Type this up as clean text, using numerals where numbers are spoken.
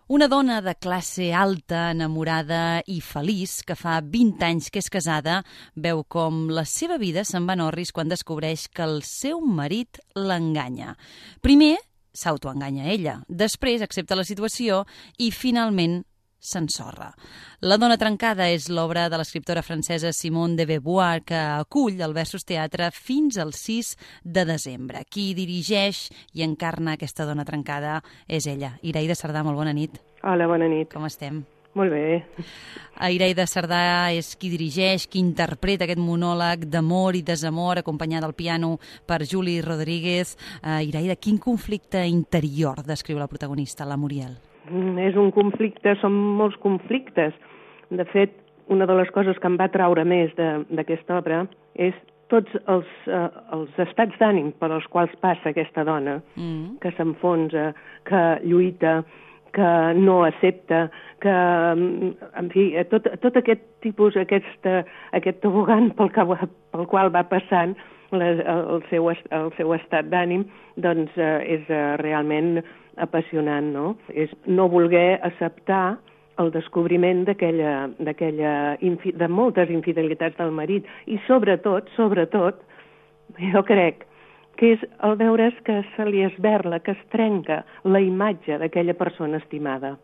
Una dona de classe alta, enamorada i feliç, que fa 20 anys que és casada, veu com la seva vida se'n va en orris quan descobreix que el seu marit l'enganya. Primer s'autoenganya ella, després accepta la situació i finalment s'ensorra. La dona trencada és l'obra de l'escriptora francesa Simone de Beauvoir, que acull el Versus Teatre fins al 6 de desembre. Qui dirigeix i encarna aquesta dona trencada és ella. Iraida Sardà, molt bona nit. Hola, bona nit. Com estem? Molt bé. Iraida Sardà és qui dirigeix, qui interpreta aquest monòleg d'amor i desamor, acompanyada al piano per Juli Rodríguez. Iraida, quin conflicte interior descriu la protagonista, la Muriel? És un conflicte, són molts conflictes. De fet, una de les coses que em va traure més d'aquesta obra és tots els estats d'ànim per als quals passa aquesta dona, que s'enfonsa, que lluita, que no accepta, que, en fi, tot aquest tipus, aquest tobogan pel qual va passant el seu estat d'ànim, doncs és realment apassionant, no? És no voler acceptar el descobriment de moltes infidelitats del marit i sobretot, jo crec que és el veure's que se li esberla, que es trenca la imatge d'aquella persona estimada.